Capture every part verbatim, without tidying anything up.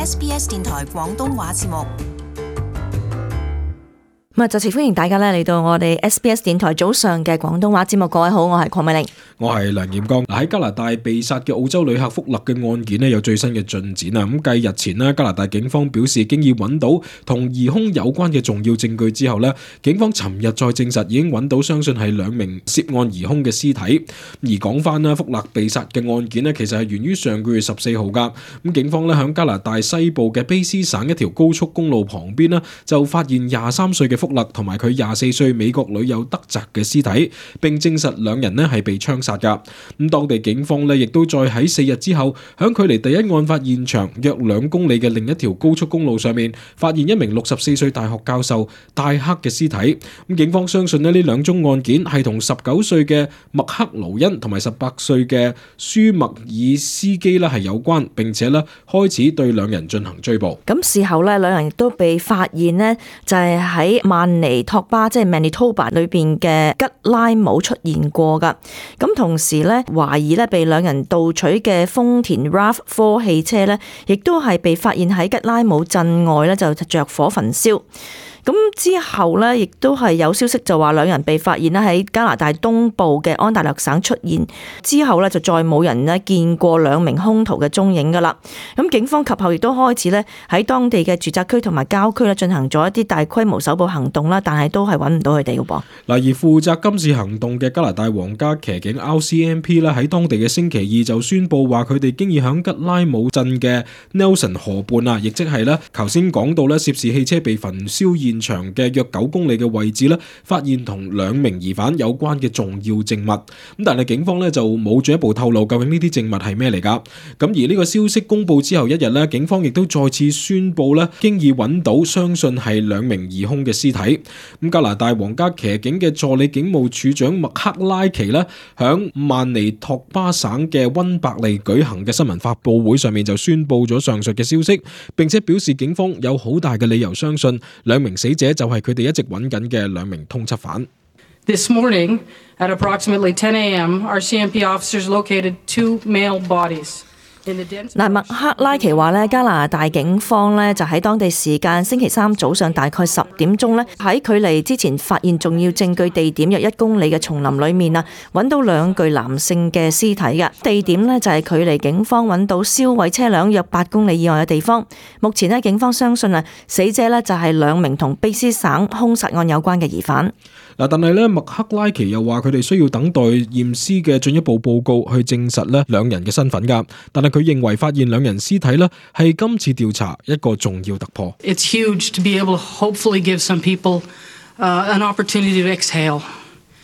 S B S 電台廣東話節目。咁啊，再次歡迎大家咧嚟到我哋 S B S 電台早上嘅廣東話節目。各位好，我係鄺美玲，我係梁炎剛。喺加拿大被殺嘅澳洲旅客福勒嘅案件咧有最新嘅進展啊！咁繼日前咧，加拿大警方表示經已揾到同疑兇有關嘅重要證據之後咧，警方尋日再證實已經揾到相信係兩名涉案疑兇嘅屍體。而講翻啦，福勒被殺嘅案件咧，其實係源於上個月十四號噶。咁警方咧響加拿大西部嘅卑斯省一條高速公路旁邊咧，就發現廿三歲嘅福勒同埋佢廿四歲美國女友德澤嘅屍體，並證實兩人咧係被槍殺噶。咁當地警方咧亦都再喺四日之後，響距離第一案發現場約兩公里嘅另一條高速公路上面，發現一名六十四歲大學教授戴克嘅屍體。咁警方相信咧呢兩宗案件係同十九歲嘅麥克勞恩同埋十八歲嘅舒麥爾斯基咧係有關，並且咧開始對兩人進行追捕。咁事後咧，兩人亦都被發現呢就係喺曼尼托巴即係 Manitoba 裏邊嘅吉拉姆出現過噶。咁同時咧，懷疑咧被兩人盜取嘅豐田 R A V 四汽車咧，亦都係被發現喺吉拉姆鎮外咧就着火焚燒。咁之後咧，亦都係有消息就話兩人被發現咧喺加拿大東部嘅安大略省出現，之後咧就再冇人咧見過兩名兇徒嘅蹤影噶啦。咁警方及後亦都開始咧喺當地嘅住宅區同埋郊區咧進行咗一啲大規模搜捕行動啦，但係都係揾唔到佢哋嘅噃。嗱，而負責今次行動嘅加拿大皇家騎警 R C M P 咧喺當地嘅星期二就宣布話佢哋經已響吉拉姆鎮嘅 Nelson 河畔啊，亦即係咧頭先講到咧涉事汽車被焚燒現場嘅約九公里嘅位置咧，發現同兩名疑犯有關嘅重要證物。咁但係警方咧就冇進一步透露究竟呢啲證物係咩嚟噶。咁而呢個消息公布之後一日咧，警方亦都再次宣布咧，經已揾到相信係兩名疑兇嘅屍體。咁加拿大皇家騎警嘅助理警務處長麥克拉奇咧，響曼尼托巴省嘅溫伯利舉行嘅新聞發佈會上面就宣布咗上述嘅消息，並且表示警方有好大嘅理由相信兩名死者就係佢哋一直揾緊嘅兩名通緝犯。This morning, at approximately ten a m, R C M P officers located two male bodies. 嗱，麥克拉奇話咧，加拿大警方咧就喺當地時間星期三早上大概十點鐘咧，喺距離之前發現重要證據地點約一公里嘅叢林裏面啊，揾到兩具男性嘅屍體嘅地點咧就係距離警方揾到燒毀車輛約八公里以外嘅地方。目前咧，警方相信啊，死者咧就係兩名同卑斯省兇殺案有關嘅疑犯。嗱，但係咧，麥克拉奇又話佢哋需要等待驗屍嘅進一步報告去證實咧兩人嘅身份㗎。但係佢認為發現兩人屍體咧係今次調查一個重要突破。It's huge to be able to hopefully give some people, uh, an opportunity to exhale.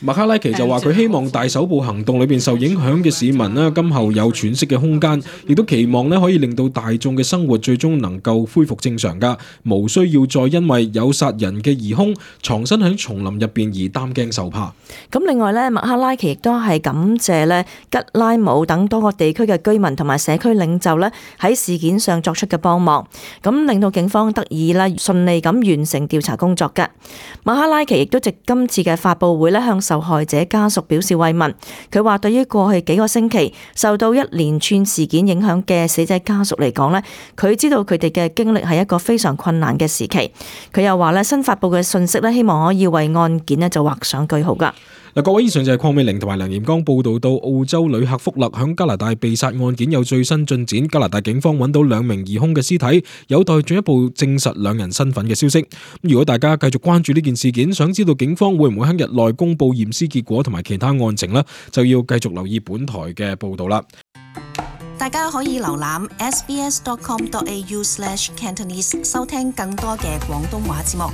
麥克拉奇就話佢希望大搜捕行動裏邊受影響嘅市民咧，今後有喘息嘅空間，亦都期望咧可以令到大眾嘅生活最終能夠恢復正常噶，無需要再因為有殺人嘅疑兇藏身喺叢林入邊而擔驚受怕。咁另外咧，麥克拉奇亦都係感謝咧吉拉姆等多個地區嘅居民同埋社區領袖咧喺事件上作出嘅幫忙，咁令到警方得以咧順利咁完成調查工作嘅。麥克拉奇亦都藉今次嘅發佈會咧向受害者家屬表示慰問。佢話對於過去幾個星期受到一連串事件影響嘅死者家屬嚟講咧，佢知道佢哋嘅經歷係一個非常困難嘅時期。佢又話咧，新發佈嘅信息咧，希望可以為案件咧就畫上句號噶。嗱，各位，以上就係鄺美玲同埋梁炎剛報道到澳洲旅客福勒響加拿大被殺案件有最新進展，加拿大警方揾到兩名疑兇嘅屍體，有待進一步證實兩人身份嘅消息。如果大家繼續關注呢件事件，想知道警方會唔會喺日內公布驗屍結果同埋其他案情呢，就要繼續留意本台嘅報道啦。大家可以瀏覽 s b s dot com dot a u slash cantonese 收聽更多嘅廣東話節目。